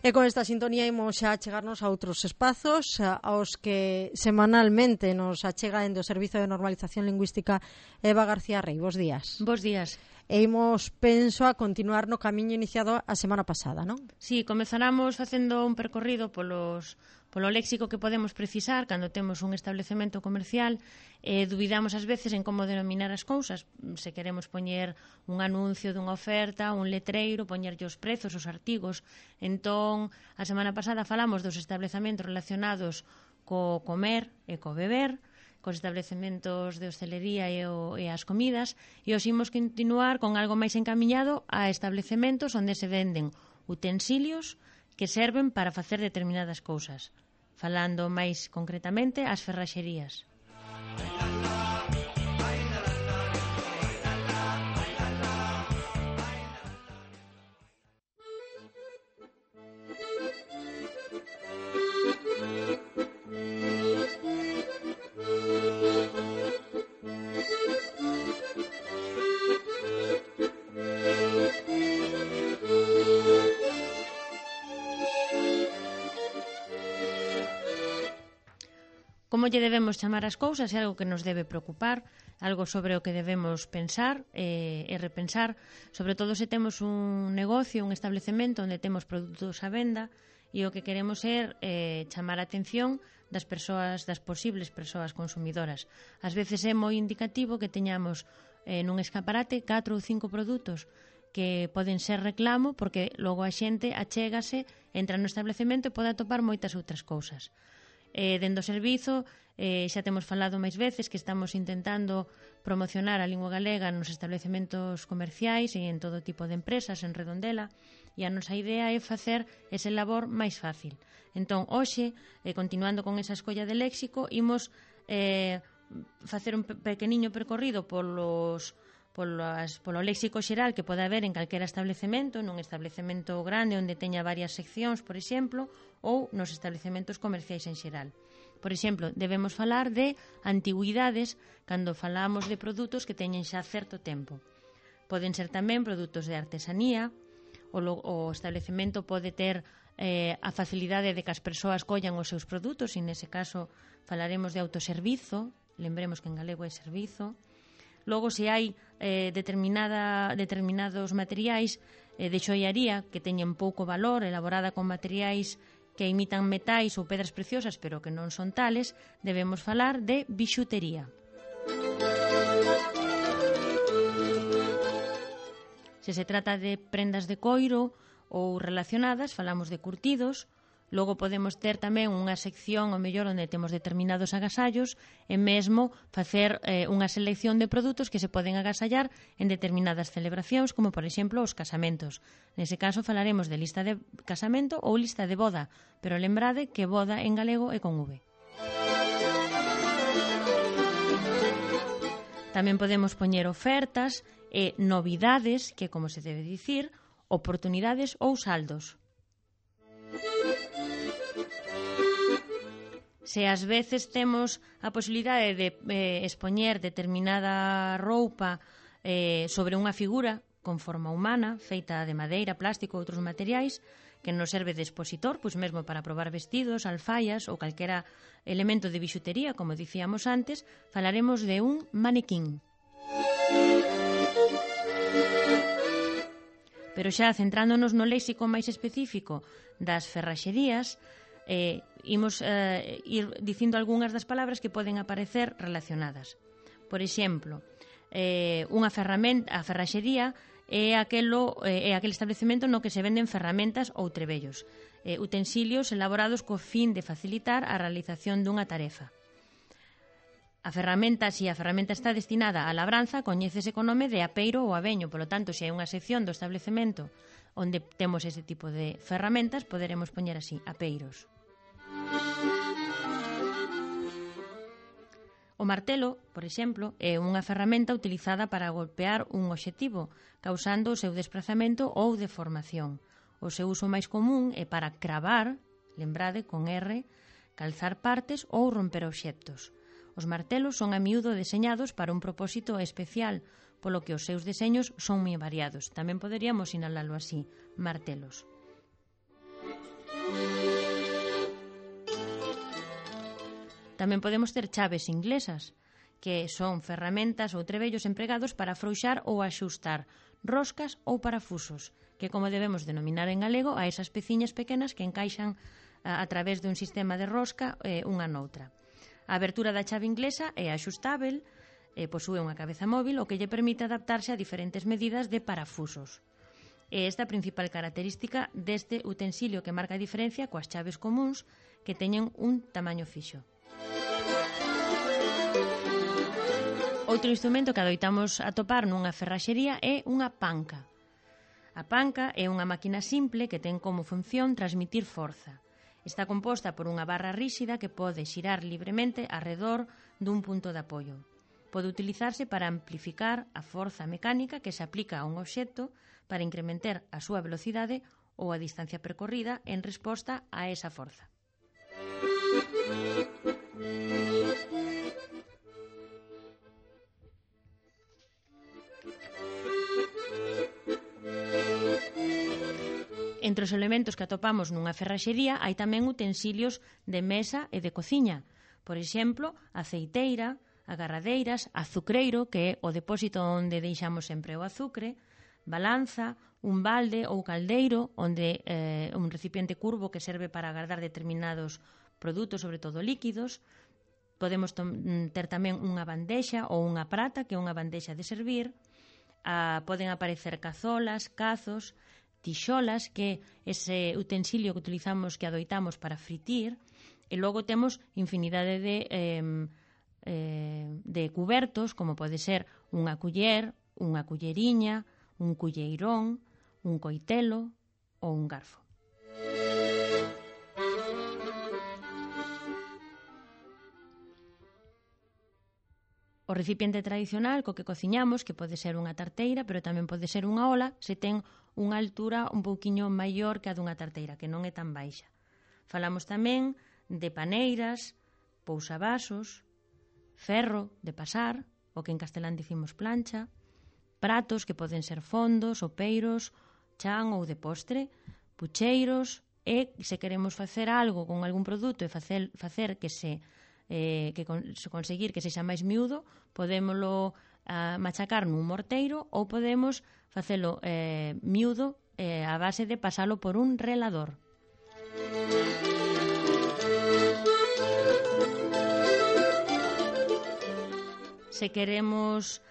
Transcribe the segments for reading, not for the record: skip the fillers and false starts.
E con esta sintonía imos xa chegarnos a outros espazos aos que semanalmente nos achega dende o Servizo de Normalización Lingüística Eva García Rey. Bos días. Bos días. E imos, penso, a continuar no camiño iniciado a semana pasada, non? Sí, comezaramos facendo un percorrido polo léxico que podemos precisar cando temos un establecemento comercial. Dubidamos ás veces en como denominar as cousas. Se queremos poñer un anuncio dunha oferta, un letreiro, poñerlle os prezos, os artigos. Entón, a semana pasada falamos dos establecementos relacionados co comer e co beber, cos establecementos de hostelería e as comidas, e os imos continuar con algo máis encamiñado a establecementos onde se venden utensilios que serven para facer determinadas cousas. Falando máis concretamente, as ferraxerías. Como lle debemos chamar as cousas é algo que nos debe preocupar, algo sobre o que debemos pensar e repensar, sobre todo se temos un negocio, un establecemento onde temos produtos á venda e o que queremos é chamar a atención das persoas, das posibles persoas consumidoras. Ás veces é moi indicativo que teñamos nun escaparate 4 ou 5 produtos que poden ser reclamo porque logo a xente achégase, entra no establecemento e pode atopar moitas outras cousas. Dende o servizo xa temos falado máis veces que estamos intentando promocionar a lingua galega nos establecementos comerciais e en todo tipo de empresas en Redondela, e a nosa idea é facer ese labor máis fácil. Entón, hoxe, continuando con esa escolla de léxico, imos facer un pequeniño percorrido polo léxico xeral que pode haber en calquera establecemento, nun establecemento grande onde teña varias seccións, por exemplo, ou nos establecementos comerciais en xeral. Por exemplo, debemos falar de antigüidades cando falamos de produtos que teñen xa certo tempo. Poden ser tamén produtos de artesanía, o establecemento pode ter a facilidade de que as persoas collan os seus produtos, e nese caso falaremos de autoservizo, lembremos que en galego é servizo. Logo, se hai determinados materiais de xoiaría que teñen pouco valor, elaborada con materiais que imitan metais ou pedras preciosas, pero que non son tales, debemos falar de bixutería. Se se trata de prendas de coiro ou relacionadas, falamos de curtidos. Logo podemos ter tamén unha sección, ao mellor, onde temos determinados agasallos e mesmo facer unha selección de produtos que se poden agasallar en determinadas celebracións, como, por exemplo, os casamentos. Nese caso falaremos de lista de casamento ou lista de boda, pero lembrade que boda en galego é con V. Tamén podemos poñer ofertas e novidades, que, como se debe dicir, oportunidades ou saldos. Se ás veces temos a posibilidade de expoñer determinada roupa sobre unha figura con forma humana, feita de madeira, plástico ou outros materiais, que nos serve de expositor, pois mesmo para probar vestidos, alfaias ou calquera elemento de bixutería, como dicíamos antes, falaremos de un manequín. Pero xa centrándonos no léxico máis específico das ferraxerías, imos ir dicindo algunhas das palabras que poden aparecer relacionadas. Por exemplo, a ferraxería é aquel establecemento no que se venden ferramentas ou trebellos, utensilios elaborados co fin de facilitar a realización dunha tarefa. A ferramenta, se a ferramenta está destinada á labranza, coñécese co nome de apeiro ou aveño. Polo tanto, se hai unha sección do establecemento onde temos ese tipo de ferramentas, poderemos poñer así, apeiros. O martelo, por exemplo, é unha ferramenta utilizada para golpear un obxectivo, causando o seu desprazamento ou deformación. O seu uso máis común é para cravar, lembrade, con R, calzar partes ou romper obxectos. Os martelos son a miúdo deseñados para un propósito especial, polo que os seus deseños son moi variados. Tamén poderíamos sinalalo así, martelos. Tamén podemos ter chaves inglesas, que son ferramentas ou trebellos empregados para afrouxar ou axustar roscas ou parafusos, que como debemos denominar en galego a esas peciñas pequenas que encaixan a través dun sistema de rosca unha noutra. A abertura da chave inglesa é axustável, posúe unha cabeza móvil, o que lle permite adaptarse a diferentes medidas de parafusos. É esta a principal característica deste utensilio que marca a diferencia coas chaves comuns que teñen un tamaño fixo. Outro instrumento que adoitamos atopar nunha ferraxería é unha panca. A panca é unha máquina simple que ten como función transmitir forza. Está composta por unha barra ríxida que pode xirar libremente arredor dun punto de apoio. Pode utilizarse para amplificar a forza mecánica que se aplica a un obxecto para incrementar a súa velocidade ou a distancia percorrida en resposta a esa forza. Entre os elementos que atopamos nunha ferraxería hai tamén utensilios de mesa e de cociña. Por exemplo, aceiteira, agarradeiras, azucreiro, que é o depósito onde deixamos sempre o azucre, balanza, un balde ou caldeiro, onde un recipiente curvo que serve para agardar determinados produtos, sobre todo líquidos. Podemos ter tamén unha bandexa ou unha prata, que é unha bandexa de servir. Poden aparecer cazolas, cazos, tixolas, que é ese utensilio que utilizamos, que adoitamos para fritir, e logo temos infinidade de cubertos, como pode ser unha culler, unha culleriña, un culleirón, un coitelo ou un garfo. O recipiente tradicional co que cociñamos, que pode ser unha tarteira, pero tamén pode ser unha ola, se ten unha altura un pouquiño maior que a dunha tarteira, que non é tan baixa. Falamos tamén de paneiras, pousavasos, ferro de pasar, o que en castelán dicimos plancha, pratos que poden ser fondos, sopeiros, chan ou de postre, pucheiros, e se queremos facer algo con algún produto e facer que conseguir que sexa máis miúdo, podémolo machacar nun morteiro ou podemos facelo miúdo a base de pasalo por un relador. Se queremos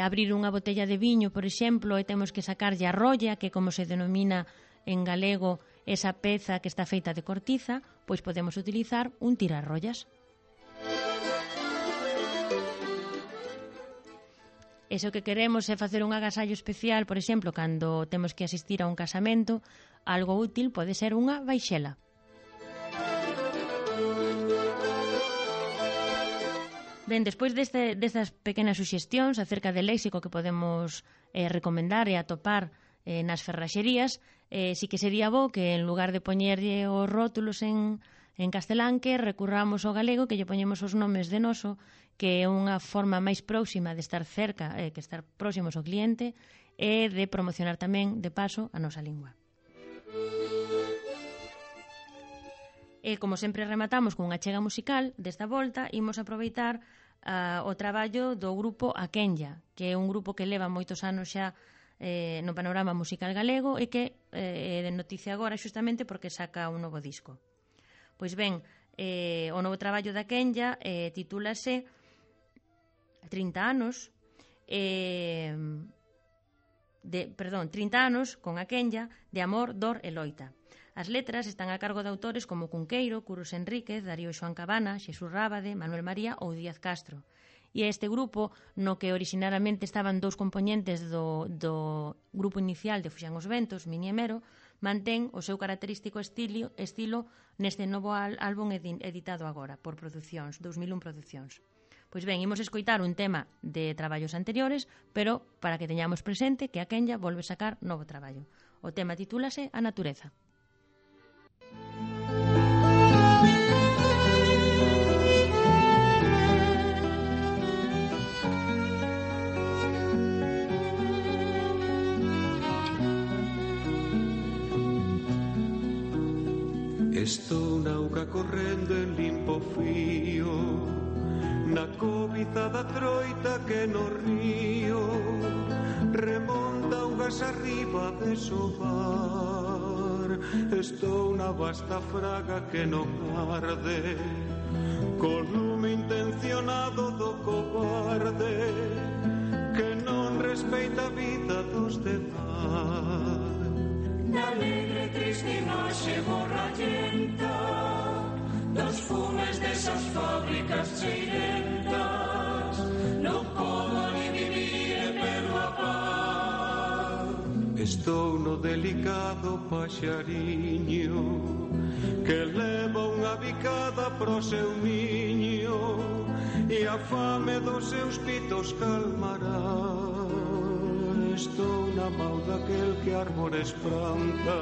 abrir unha botella de viño, por exemplo, e temos que sacarlle a rolla, que como se denomina en galego esa peza que está feita de cortiza, pois podemos utilizar un tirarrollas. E se o que queremos é facer un agasallo especial, por exemplo, cando temos que asistir a un casamento, algo útil pode ser unha vaixela. Ben, despois destas pequenas suxestións acerca del léxico que podemos recomendar e atopar nas ferraxerías, si que sería bo que en lugar de poñerlle os rótulos en castelán, que recurramos ao galego, que lle poñemos os nomes de noso, que é unha forma máis próxima de estar cerca, que estar próximos ao cliente, e de promocionar tamén, de paso, a nosa lingua. E, como sempre rematamos con unha chega musical, desta volta imos aproveitar o traballo do grupo Aquenya, que é un grupo que leva moitos anos xa no panorama musical galego e que é de noticia agora xustamente porque saca un novo disco. Pois ben, o novo traballo da Aquenya titúlase 30 anos 30 anos con Aquenya de amor, dor e loita. As letras están a cargo de autores como Cunqueiro, Curros Enríquez, Darío Xoán Cabana, Xesús Rábade, Manuel María ou Díaz Castro. E este grupo, no que originariamente estaban dous componentes do grupo inicial de Fuxan os Ventos, Mini e Mero, mantén o seu característico estilo neste novo álbum editado agora por Producións, 2001 Producións. Pois ben, imos escoitar un tema de traballos anteriores, pero para que teñamos presente que Aquenya volve sacar novo traballo. O tema titúlase A Natureza. Estou na auga correndo en limpo fío, na cobiza da troita que no río remonta augas arriba de sobar. Estou na vasta fraga que non arde, co lume intencionado do cobarde que non respeita a vida dos demais. Na alegre triste imaxe borrallenta dos fumes desas fábricas cheirentas, non podo ali vivir e perdo a paz. Estou no delicado paxariño que leva unha bicada pro seu niño e a fame dos seus pitos calmará. Estou na mau daquel que árbores planta,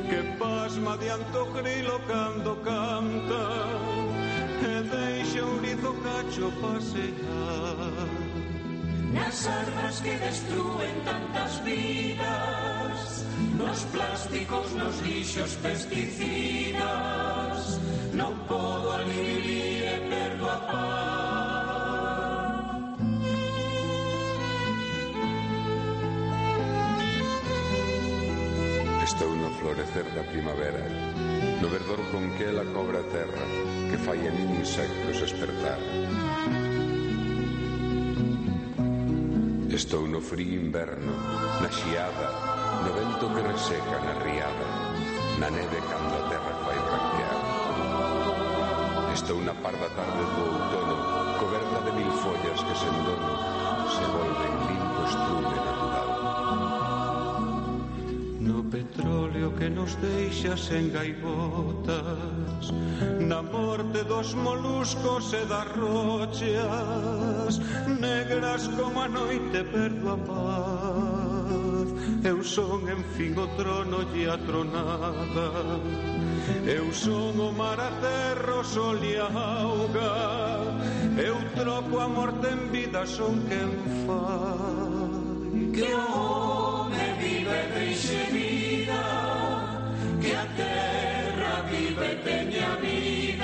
que pasma diante o grilo cando canta e deixa o rizo cacho pasear. Nas armas que destruen tantas vidas, nos plásticos, nos lixos pesticidas, non podo ali vivir e perdo a paz. Estou no florecer da primavera, no verdor con que ela cobra a terra, que fai a min insectos despertar. Estou no frío inverno, na xiada, no vento que reseca na riada, na neve cando a terra fai branquear. Estou na parda tarde do outono, coberta de mil follas que sen dono se volven limpo estrume natural. No petróleo que nos deixa sen gaivotas, na morte dos moluscos e das rochas, negras como a noite perdo a paz. Eu son en fin o trono e a tronada, eu son o mar, a terra, o sol e a auga, eu troco a morte en vida, son quen fai que o home vive deixe